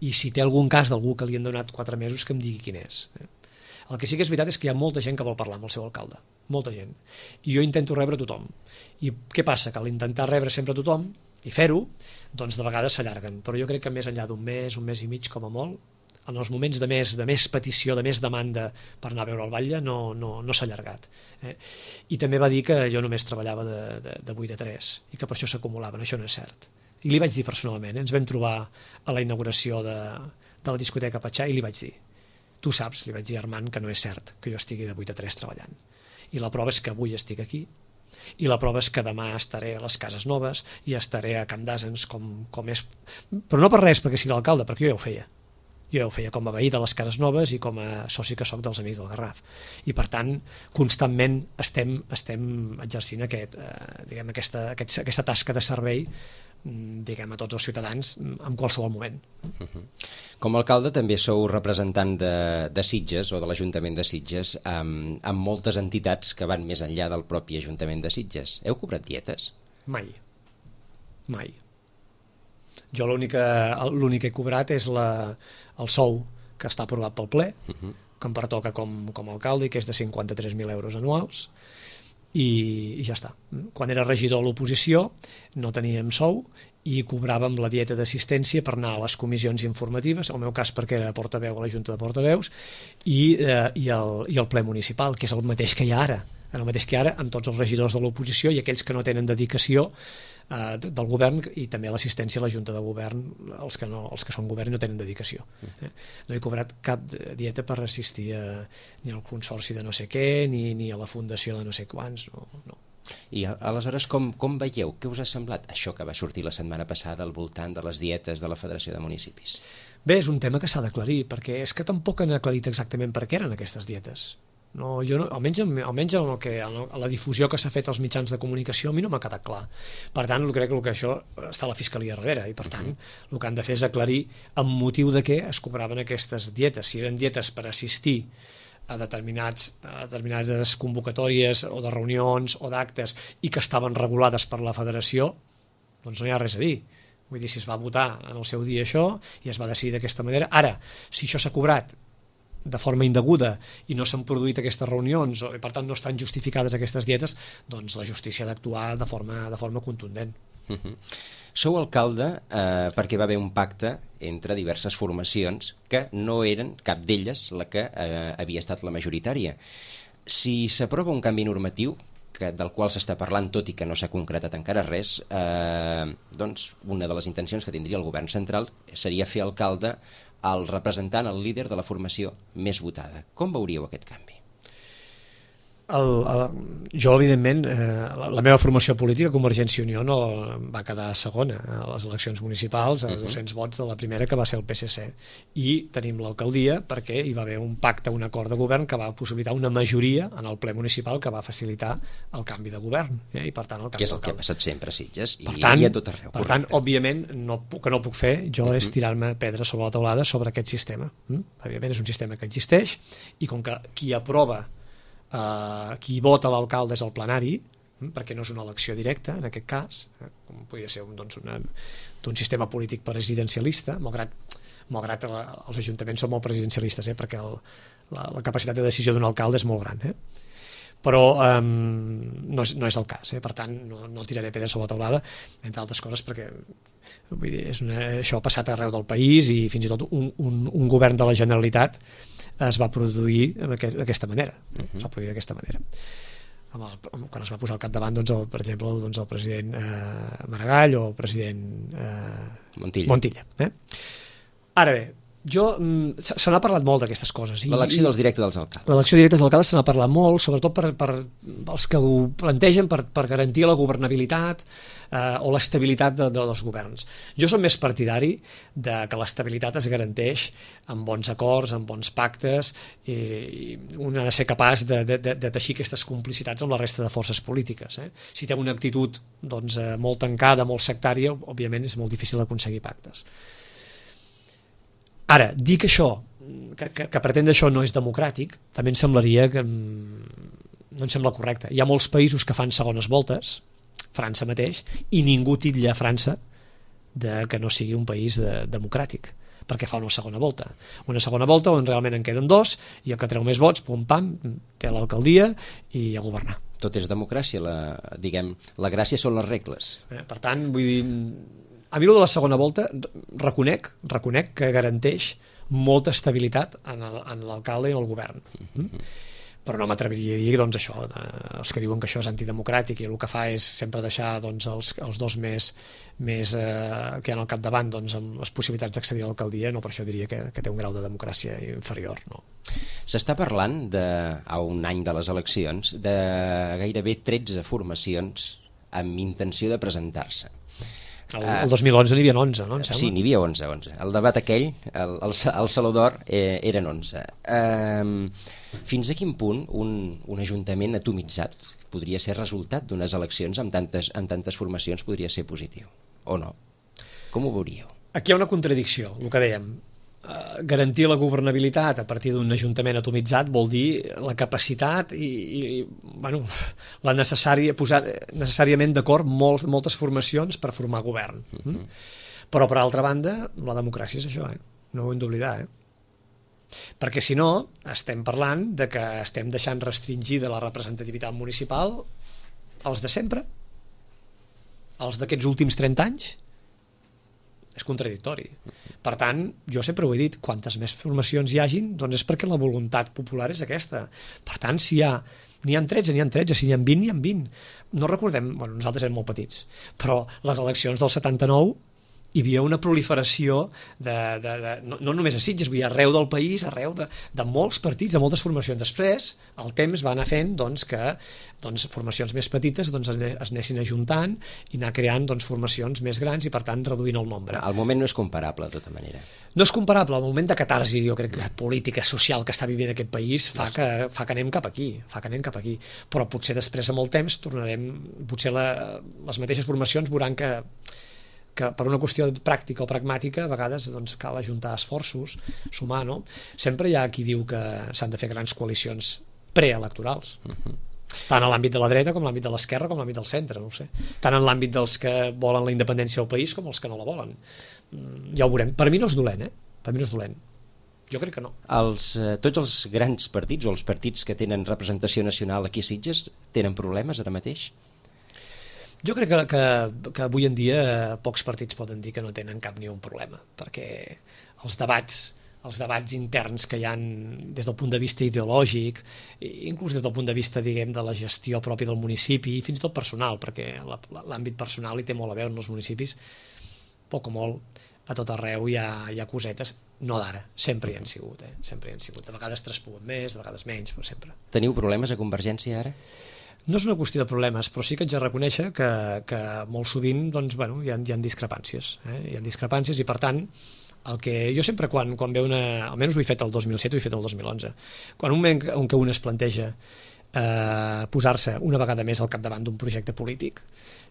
i si té algun cas d'algú que li han donat quatre mesos que em digui quin és. El que sí que és veritat és que hi ha molta gent que vol parlar amb el seu alcalde, molta gent, i jo intento rebre tothom. I què passa? Que a l'intentar rebre sempre tothom i fer-ho, doncs de vegades s'allarguen, però jo crec que més enllà d'un mes, un mes i mig com a molt, en els moments de més, de més petició, de més demanda per anar a veure el batlle, no, no, no s'ha allargat. Eh? I també va dir que jo només treballava de, de, de vuit a tres i que per això s'acumulaven, això no és cert. I li vaig dir personalment, eh? Ens vam trobar a la inauguració de, de la discoteca Patxà i li vaig dir, tu saps, li vaig dir a Armand, que no és cert que jo estigui de vuit a tres treballant. I la prova és que avui estic aquí i la prova és que demà estaré a les Cases Noves i estaré a Camp d'Àsens com, com és, però no per res perquè sigui l'alcalde, perquè jo ja ho feia. Jo ja ho feia com a veí de les Cases Noves i com a soci que soc dels Amics del Garraf. I per tant, constantment estem, estem exercint aquest, eh, diguem, aquesta, aquest, aquesta tasca de servei diguem, a tots els ciutadans en qualsevol moment. Uh-huh. Com a alcalde també sou representant de, de Sitges o de l'Ajuntament de Sitges amb, amb moltes entitats que van més enllà del propi Ajuntament de Sitges. Heu cobrat dietes? Mai. Mai. Jo l'únic que he cobrat és la, el sou que està aprovat pel ple, uh-huh. que em pertoca com, com a alcalde i que és de cinquanta-tres mil euros anuals. I, i ja està. Quan era regidor a l'oposició no teníem sou i cobràvem la dieta d'assistència per anar a les comissions informatives, en el meu cas perquè era portaveu a la Junta de Portaveus i, eh, i, el, i el ple municipal, que és el mateix que hi ha ara, el mateix que hi ha ara amb tots els regidors de l'oposició i aquells que no tenen dedicació eh, del govern i també l'assistència a la Junta de Govern, els que, no, els que són govern i no tenen dedicació. Eh? No he cobrat cap dieta per assistir a, ni al consorci de no sé què, ni, ni a la fundació de no sé quants, no, no. I aleshores com, com veieu? Què us ha semblat això que va sortir la setmana passada al voltant de les dietes de la Federació de Municipis? Bé, és un tema que s'ha d'aclarir, perquè és que tampoc han aclarit exactament per què eren aquestes dietes. No, jo no, almenys, almenys el que, la difusió que s'ha fet als mitjans de comunicació a mi no m'ha quedat clar. Per tant, crec que, que això està a la Fiscalia darrere i per tant el que han de fer és aclarir amb motiu de què es cobraven aquestes dietes. Si eren dietes per assistir a determinats, a determinades convocatòries o de reunions o d'actes i que estaven regulades per la federació, doncs no hi ha res a dir. Vull dir, si es va votar en el seu dia això i es va decidir d'aquesta manera. Ara, si això s'ha cobrat de forma indeguda i no s'han produït aquestes reunions i per tant no estan justificades aquestes dietes, doncs la justícia ha d'actuar de forma, de forma contundent. Uh-huh. Sou alcalde eh, perquè va haver un pacte entre diverses formacions que no eren cap d'elles la que eh, havia estat la majoritària. Si s'aprova un canvi normatiu que, del qual s'està parlant, tot i que no s'ha concretat encara res, eh, doncs una de les intencions que tindria el govern central seria fer alcalde al representant, el líder de la formació més votada. Com veuríeu aquest canvi? El, el, jo, evidentment, eh, la, la meva formació política, Convergència i Unió, no va quedar segona a les eleccions municipals, a uh-huh. dos-cents vots de la primera, que va ser el P S C. I tenim l'alcaldia perquè hi va haver un pacte, un acord de govern que va possibilitar una majoria en el ple municipal que va facilitar el canvi de govern. Eh? I per tant, el canvi que és el que ha passat sempre a Sitges i, tant, i a tot arreu. Per tant, òbviament, no, que no puc fer jo uh-huh. és tirar-me pedra sobre la teulada sobre aquest sistema. Mm? Òbviament és un sistema que existeix i com que qui aprova Uh, qui vota l'alcalde és el plenari, mm, perquè no és una elecció directa en aquest cas, eh, com podria ser un, doncs una, d'un sistema polític presidencialista, malgrat, malgrat la, els ajuntaments són molt presidencialistes, eh, perquè el, la, la capacitat de decisió d'un alcalde és molt gran, eh? Però um, no, és, no és el cas, eh? Per tant no, no tiraré pedres sobre la teulada, entre altres coses perquè vull dir, és una, això ha passat arreu del país i fins i tot un, un, un govern de la Generalitat es va produir d'aquesta manera, uh-huh. es va produir d'aquesta manera. Amb el, quan es va posar al capdavant, doncs, el, per exemple, doncs, el president eh, Maragall o el president eh, Montilla. Montilla eh? Ara bé, jo, se, se n'ha parlat molt d'aquestes coses. L'elecció dels directes dels alcaldes. L'elecció directa dels alcaldes se n'ha parlat molt, sobretot per, per els que ho plantegen per, per garantir la governabilitat eh, o l'estabilitat de, de, dels governs. Jo som més partidari de que l'estabilitat es garanteix amb bons acords, amb bons pactes, i, i un ha de ser capaç de, de, de, de teixir aquestes complicitats amb la resta de forces polítiques. Eh? Si té una actitud doncs, eh, molt tancada, molt sectària, òbviament és molt difícil aconseguir pactes. Ara, dir que això, que, que, que pretendre això no és democràtic, també em semblaria que no em sembla correcte. Hi ha molts països que fan segones voltes, França mateix, i ningú titlla a França de que no sigui un país de, democràtic, perquè fa una segona volta. Una segona volta on realment en queden dos, i el que treu més vots, pum pam, té l'alcaldia i a governar. Tot és democràcia, la, diguem, la gràcia són les regles. Eh, per tant, vull dir... A mi, de la segona volta, reconec, reconec que garanteix molta estabilitat en l'alcalde i en el govern. Mm? Però no m'atreviria a dir, doncs, això, els que diuen que això és antidemocràtic i el que fa és sempre deixar doncs, els, els dos més, més eh, que hi ha al capdavant doncs, amb les possibilitats d'accedir a l'alcaldia, no, per això diria que, que té un grau de democràcia inferior. No. S'està parlant, de, a un any de les eleccions, de gairebé tretze formacions amb intenció de presentar-se. El, el dos mil onze n'hi havia onze, no? Em sembla? Sí, n'hi havia onze, onze. El debat aquell, el, el, el Saló d'Or, eh, eren onze. Eh, fins a quin punt un, un ajuntament atomitzat podria ser resultat d'unes eleccions amb tantes, amb tantes formacions podria ser positiu? O no? Com ho veuríeu? Aquí hi ha una contradicció, el que dèiem. Uh, garantir la governabilitat a partir d'un ajuntament atomitzat vol dir la capacitat i, i bueno, la necessària, posar necessàriament d'acord molt, moltes formacions per formar govern. Mm? Però per altra banda la democràcia és això, eh? No ho hem d'oblidar, eh? Perquè si no estem parlant de que estem deixant restringida la representativitat municipal als de sempre, als d'aquests últims trenta anys. És contradictori. Per tant, jo sempre ho he dit, quantes més formacions hi hagin, doncs és perquè la voluntat popular és aquesta. Per tant, si hi ha n'hi ha tretze, n'hi ha tretze, si n'hi ha vint, n'hi ha vint. No recordem, bueno, nosaltres érem molt petits, però les eleccions del setanta-nou hi havia una proliferació de, de, de, no, no només a Sitges, vull dir, arreu del país, arreu de, de molts partits, de moltes formacions. Després, el temps va anar fent doncs, que doncs, formacions més petites doncs, es anessin ajuntant i anar creant doncs, formacions més grans i, per tant, reduint el nombre. El moment no és comparable, de tota manera. No és comparable. El moment de catarsi, jo crec, que política, social que està vivint aquest país fa que, fa que anem cap aquí, fa que anem cap aquí. Però potser després, amb el temps, tornarem, potser la, les mateixes formacions veuran que que per una qüestió pràctica o pragmàtica a vegades doncs, cal ajuntar esforços, sumar, no? Sempre hi ha qui diu que s'han de fer grans coalicions preelectorals, uh-huh. tant en l'àmbit de la dreta com en l'àmbit de l'esquerra com en l'àmbit del centre, no ho sé. Tant en l'àmbit dels que volen la independència del país com els que no la volen. Ja ho veurem. Per mi no és dolent, eh? Per mi no és dolent. Jo crec que no. Els, eh, tots els grans partits o els partits que tenen representació nacional aquí a Sitges tenen problemes ara mateix? Jo crec que, que, que avui en dia pocs partits poden dir que no tenen cap ni un problema, perquè els debats els debats interns que hi ha des del punt de vista ideològic, inclús des del punt de vista, diguem, de la gestió pròpia del municipi, i fins i tot personal, perquè l'àmbit personal hi té molt a veure en els municipis, poc o molt, a tot arreu hi ha, hi ha cosetes, no d'ara, sempre hi han sigut, eh? sempre hi han sigut. De vegades traspuen més, de vegades menys, però sempre. Teniu problemes a Convergència ara? No és una qüestió de problemes, però sí que haig de reconèixer que, que molt sovint doncs, bueno, hi, ha, hi ha discrepàncies. Eh? Hi ha discrepàncies i, per tant, el que jo sempre quan, quan ve una... Almenys ho he fet el dos mil set o ho he fet el dos mil onze. Quan un moment en què un es planteja eh, posar-se una vegada més al capdavant d'un projecte polític,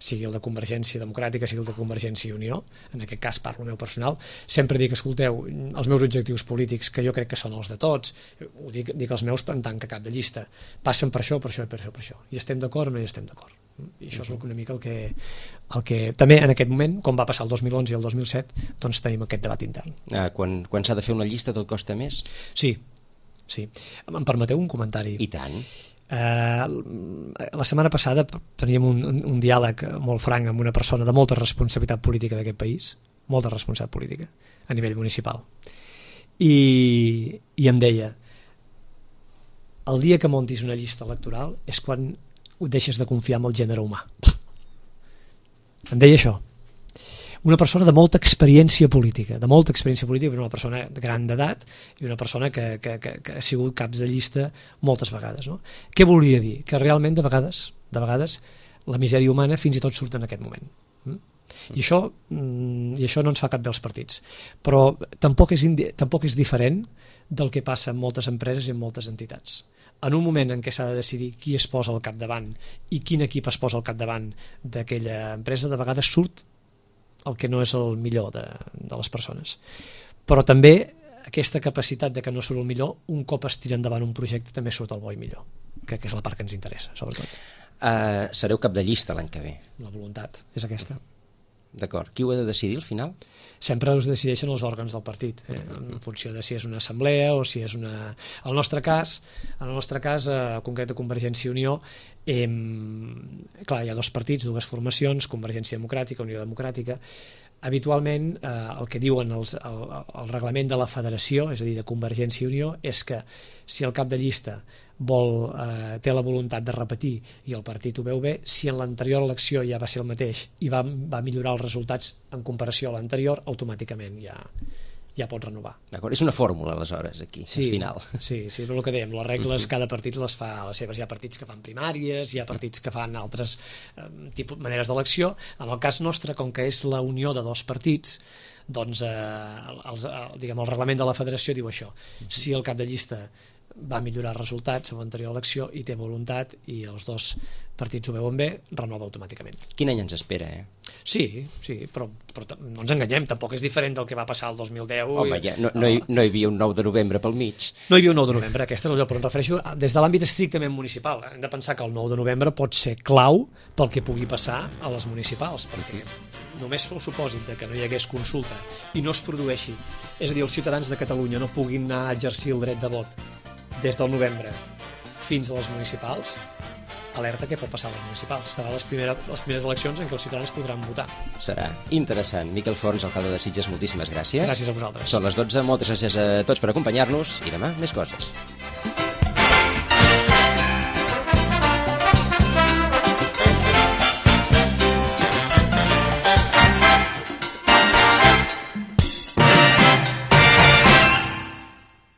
sigui el de Convergència Democràtica, sigui el de Convergència i Unió, en aquest cas parlo meu personal, sempre dic, escolteu, els meus objectius polítics, que jo crec que són els de tots, ho dic, dic els meus en tant que cap de llista, passen per això, per això i per això, per això. I estem d'acord o no hi estem d'acord? I això és una mica el que, el que també en aquest moment, com va passar el dos mil onze i el dos mil set, doncs tenim aquest debat intern. Ah, quan quan s'ha de fer una llista tot costa més? Sí, sí. Em permeteu un comentari? I tant. Uh, la setmana passada teníem un, un, un diàleg molt franc amb una persona de molta responsabilitat política d'aquest país, molta responsabilitat política a nivell municipal, i, i em deia, el dia que montis una llista electoral és quan deixes de confiar en el gènere humà. Em deia això, una persona de molta experiència política, de molta experiència política, una persona gran d'edat i una persona que, que, que, que ha sigut caps de llista moltes vegades. No? Què volia dir? Que realment de vegades, de vegades la misèria humana fins i tot surt en aquest moment. I això, i això no ens fa cap bé als partits. Però tampoc és, tampoc és diferent del que passa en moltes empreses i en moltes entitats. En un moment en què s'ha de decidir qui es posa al capdavant i quin equip es posa al capdavant d'aquella empresa, de vegades surt el que no és el millor de, de les persones. Però també aquesta capacitat de que no surt el millor, un cop es tira endavant un projecte també surt el bo i millor, que, que és la part que ens interessa, sobretot. Uh, sereu cap de llista l'any que ve? La voluntat és aquesta. D'acord. Qui ho ha de decidir al final? Sempre us decideixen els òrgans del partit, eh? En funció de si és una assemblea o si és una... En el nostre cas, en el nostre cas, eh, concret de Convergència i Unió, eh, clar, hi ha dos partits, dues formacions, Convergència Democràtica, Unió Democràtica. Habitualment, eh, el que diuen els, el, el reglament de la federació, és a dir, de Convergència i Unió, és que si el cap de llista vol, eh, té la voluntat de repetir i el partit ho veu bé, si en l'anterior elecció ja va ser el mateix i va, va millorar els resultats en comparació a l'anterior, automàticament ja, ja pot renovar. D'acord, és una fórmula aleshores aquí, sí, al final. Sí, sí, però el que dèiem, les regles, cada partit les fa a les seves. Hi ha partits que fan primàries, hi ha partits que fan altres eh, tipus, maneres d'elecció. En el cas nostre, com que és la unió de dos partits, doncs eh, els, el, diguem, el reglament de la federació diu això. Si el cap de llista va millorar resultats a l'anterior elecció i té voluntat i els dos partits ho veuen bé, renova automàticament. Quin any ens espera, eh? Sí, sí, però, però no ens enganyem, tampoc és diferent del que va passar el dos mil deu. Home, ja, no, no, hi, no hi havia un nou de novembre pel mig. No hi havia un nou de novembre, aquest és el lloc, però em refereixo des de l'àmbit estrictament municipal. Hem de pensar que el nou de novembre pot ser clau pel que pugui passar a les municipals, perquè només pel supòsit de que no hi hagués consulta i no es produeixi, és a dir, els ciutadans de Catalunya no puguin anar a exercir el dret de vot des del novembre fins a les municipals, alerta què pot passar a les municipals. Serà les primeres, les primeres eleccions en què els ciutadans podran votar. Serà interessant. Miquel Forns, alcalde de Sitges, moltíssimes gràcies. Gràcies a vosaltres. Són les dotze, moltes gràcies a tots per acompanyar-nos i demà més coses.